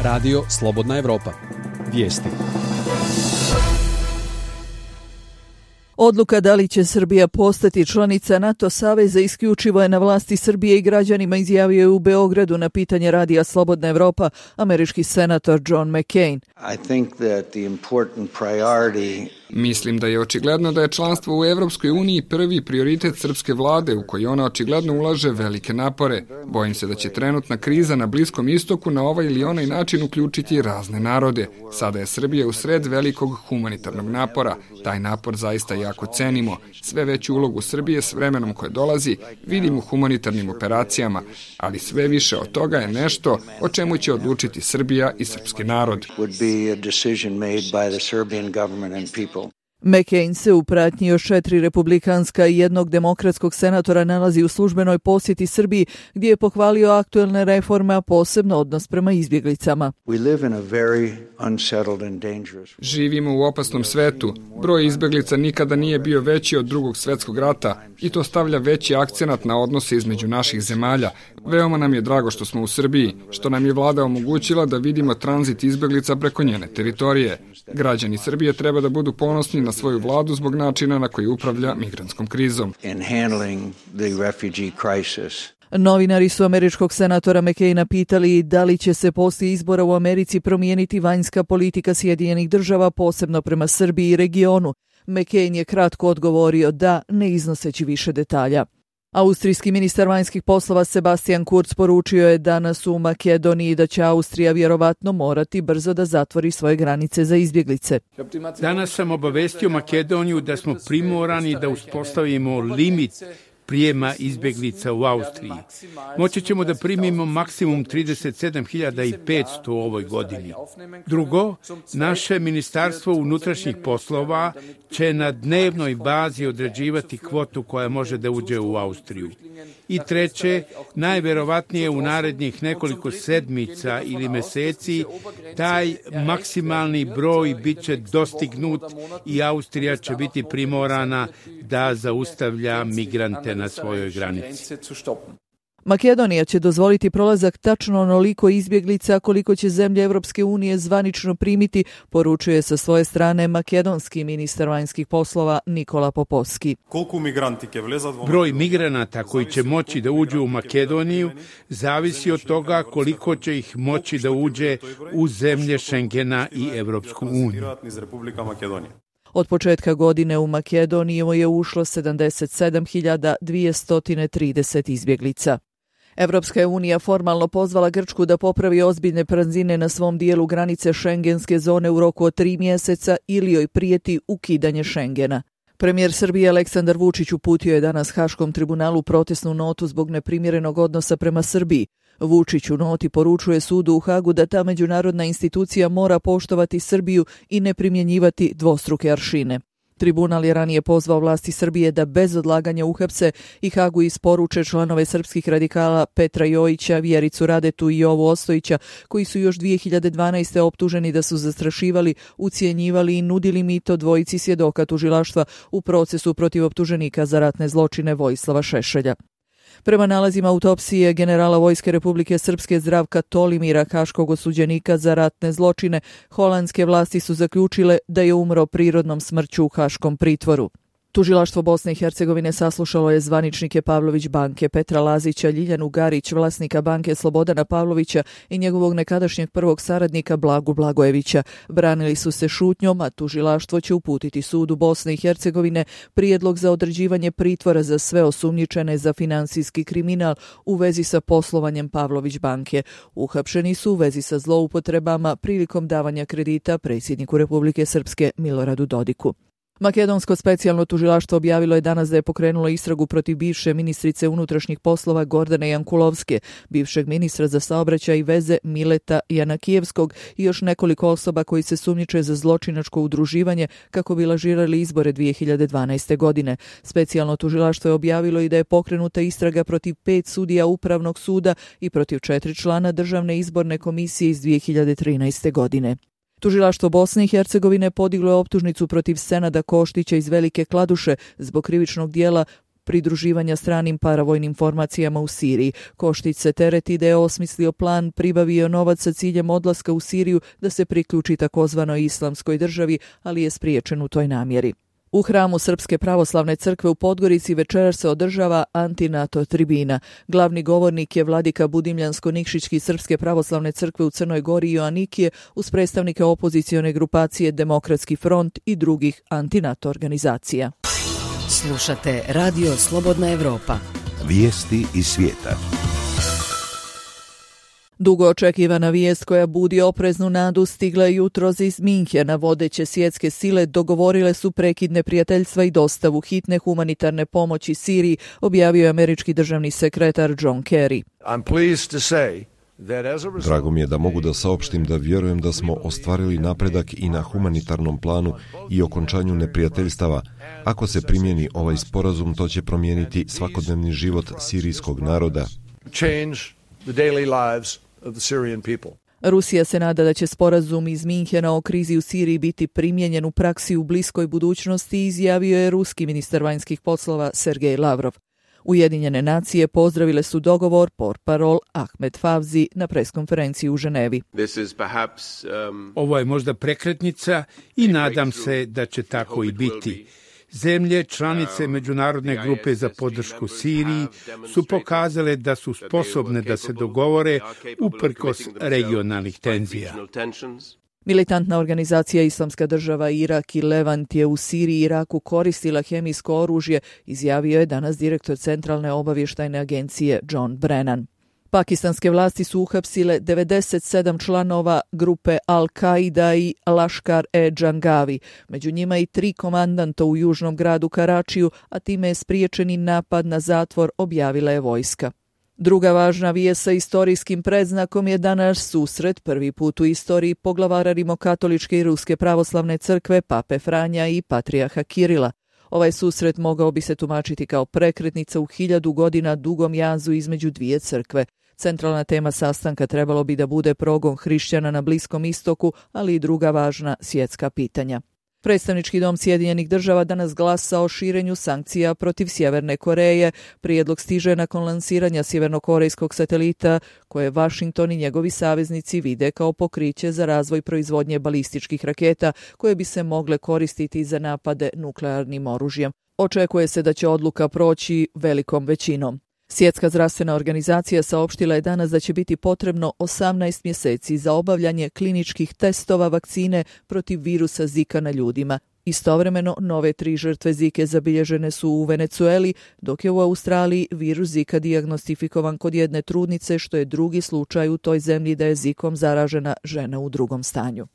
Radio Slobodna Evropa. Vijesti. Odluka da li će Srbija postati članica NATO saveza isključivo je na vlasti Srbije i građanima, izjavio je u Beogradu na pitanje Radija Slobodna Evropa američki senator John McCain. Mislim da je očigledno da je članstvo u Evropskoj uniji prvi prioritet srpske vlade u koji ona očigledno ulaže velike napore. Bojim se da će trenutna kriza na Bliskom istoku na ovaj ili onaj način uključiti razne narode. Sada je Srbija u sred velikog humanitarnog napora. Taj napor zaista jako cenimo. Sve veću ulogu Srbije s vremenom koje dolazi vidimo u humanitarnim operacijama, ali sve više od toga je nešto o čemu će odlučiti Srbija i srpski narod. McCain se u pratnji još 4 republikanska i 1 demokratskog senatora nalazi u službenoj posjeti Srbiji, gdje je pohvalio aktuelne reforme, a posebno odnos prema izbjeglicama. Živimo u opasnom svetu. Broj izbjeglica nikada nije bio veći od Drugog svjetskog rata i to stavlja veći akcenat na odnose između naših zemalja. Veoma nam je drago što smo u Srbiji, što nam je vlada omogućila da vidimo tranzit izbjeglica preko njene teritorije. Građani Srbije treba da budu ponosni na svoju vladu zbog načina na koji upravlja migrantskom krizom. Novinari su američkog senatora McCaina pitali da li će se poslije izbora u Americi promijeniti vanjska politika Sjedinjenih država, posebno prema Srbiji i regionu. McCain je kratko odgovorio da, ne iznoseći više detalja. Austrijski ministar vanjskih poslova Sebastian Kurz poručio je danas u Makedoniji da će Austrija vjerovatno morati brzo da zatvori svoje granice za izbjeglice. Danas sam obavestio Makedoniju da smo primorani da uspostavimo limit prijema izbjeglica u Austriji. Moći ćemo da primimo maksimum 37.500 u ovoj godini. Drugo, naše Ministarstvo unutrašnjih poslova će na dnevnoj bazi određivati kvotu koja može da uđe u Austriju. I treće, najverovatnije u narednih nekoliko sedmica ili meseci taj maksimalni broj bit će dostignut i Austrija će biti primorana da zaustavlja migrante na svojoj granici. Makedonija će dozvoliti prolazak tačno onoliko izbjeglica koliko će zemlje Evropske unije zvanično primiti, poručuje sa svoje strane makedonski ministar vanjskih poslova Nikola Popovski. Broj migranata koji će moći da uđu u Makedoniju zavisi od toga koliko će ih moći da uđe u zemlje Šengena i Evropsku uniju. Od početka godine u Makedoniju je ušlo 77.230 izbjeglica. Evropska unija formalno pozvala Grčku da popravi ozbiljne praznine na svom dijelu granice šengenske zone u roku od 3 mjeseca ili joj prijeti ukidanje Šengena. Premijer Srbije Aleksandar Vučić uputio je danas Haškom tribunalu protestnu notu zbog neprimjerenog odnosa prema Srbiji. Vučić u noti poručuje sudu u Hagu da ta međunarodna institucija mora poštovati Srbiju i ne primjenjivati dvostruke aršine. Tribunal je ranije pozvao vlasti Srbije da bez odlaganja uhapse i Hagu isporuče članove srpskih radikala Petra Jojića, Vjericu Radetu i Jovu Ostojića, koji su još 2012. optuženi da su zastrašivali, ucjenjivali i nudili mito dvojici svjedoka tužilaštva u procesu protiv optuženika za ratne zločine Vojislava Šešelja. Prema nalazima autopsije generala Vojske Republike Srpske Zdravka Tolimira, haškog osuđenika za ratne zločine, holandske vlasti su zaključile da je umro prirodnom smrću u haškom pritvoru. Tužilaštvo Bosne i Hercegovine saslušalo je zvaničnike Pavlović banke Petra Lazića, Ljiljanu Garić, vlasnika banke Slobodana Pavlovića i njegovog nekadašnjeg prvog saradnika Blagu Blagojevića. Branili su se šutnjom, a tužilaštvo će uputiti sudu Bosne i Hercegovine prijedlog za određivanje pritvora za sve osumnjičene za finansijski kriminal u vezi sa poslovanjem Pavlović banke. Uhapšeni su u vezi sa zloupotrebama prilikom davanja kredita predsjedniku Republike Srpske Miloradu Dodiku. Makedonsko specijalno tužilaštvo objavilo je danas da je pokrenulo istragu protiv bivše ministrice unutrašnjih poslova Gordane Jankulovske, bivšeg ministra za saobraćaj i veze Mileta Janakijevskog i još nekoliko osoba koji se sumnjiče za zločinačko udruživanje kako bi lažirali izbore 2012. godine. Specijalno tužilaštvo je objavilo i da je pokrenuta istraga protiv 5 sudija Upravnog suda i protiv 4 člana Državne izborne komisije iz 2013. godine. Tužilaštvo Bosne i Hercegovine podiglo je optužnicu protiv Senada Koštića iz Velike Kladuše zbog krivičnog dijela pridruživanja stranim paravojnim formacijama u Siriji. Koštić se tereti da je osmislio plan, pribavio novac sa ciljem odlaska u Siriju da se priključi takozvanoj islamskoj državi, ali je spriječen u toj namjeri. U hramu Srpske pravoslavne crkve u Podgorici večeras se održava anti-NATO tribina. Glavni govornik je vladika Budimljansko-Nikšićki Srpske pravoslavne crkve u Crnoj Gori Joanikije uz predstavnike opozicione grupacije Demokratski front i drugih anti-NATO organizacija. Slušate Radio Slobodna Evropa. Vijesti iz svijeta. Dugo očekivana vijest koja budi opreznu nadu stigla je jutros iz Minhena. Vodeće svjetske sile dogovorile su prekid neprijateljstva i dostavu hitne humanitarne pomoći Siriji, objavio je američki državni sekretar John Kerry. Drago mi je da mogu da saopštim da vjerujem da smo ostvarili napredak i na humanitarnom planu i okončanju neprijateljstava. Ako se primjeni ovaj sporazum, to će promijeniti svakodnevni život sirijskog naroda. Rusija se nada da će sporazum iz Minhena o krizi u Siriji biti primijenjen u praksi u bliskoj budućnosti, izjavio je ruski ministar vanjskih poslova Sergej Lavrov. Ujedinjene nacije pozdravile su dogovor portparol Ahmed Favzi na preskonferenciji u Ženevi. Ovo je možda prekretnica i nadam se da će tako i biti. Zemlje, članice Međunarodne grupe za podršku Siriji su pokazale da su sposobne da se dogovore uprkos regionalnih tenzija. Militantna organizacija Islamska država Irak i Levant je u Siriji i Iraku koristila hemijsko oružje, izjavio je danas direktor Centralne obavještajne agencije John Brennan. Pakistanske vlasti su uhapsile 97 članova grupe Al-Qaida i Laškar-e-Džangavi, među njima i 3 komandanta u južnom gradu Karačiju, a time je spriječeni napad na zatvor, objavila je vojska. Druga važna vijest sa istorijskim predznakom je danas susret prvi put u istoriji poglavara Rimokatoličke i Ruske pravoslavne crkve, Pape Franja i Patrijarha Kirila. Ovaj susret mogao bi se tumačiti kao prekretnica u 1000 godina dugom jazu između dvije crkve. Centralna tema sastanka trebalo bi da bude progon hrišćana na Bliskom istoku, ali i druga važna svjetska pitanja. Predstavnički dom Sjedinjenih država danas glasa o širenju sankcija protiv Sjeverne Koreje. Prijedlog stiže nakon lansiranja sjevernokorejskog satelita, koje Washington i njegovi saveznici vide kao pokriće za razvoj proizvodnje balističkih raketa, koje bi se mogle koristiti za napade nuklearnim oružjem. Očekuje se da će odluka proći velikom većinom. Svjetska zdravstvena organizacija saopštila je danas da će biti potrebno 18 mjeseci za obavljanje kliničkih testova vakcine protiv virusa Zika na ljudima. Istovremeno, nove 3 žrtve Zike zabilježene su u Venecueli, dok je u Australiji virus Zika dijagnostifikovan kod jedne trudnice, što je drugi slučaj u toj zemlji da je Zikom zaražena žena u drugom stanju.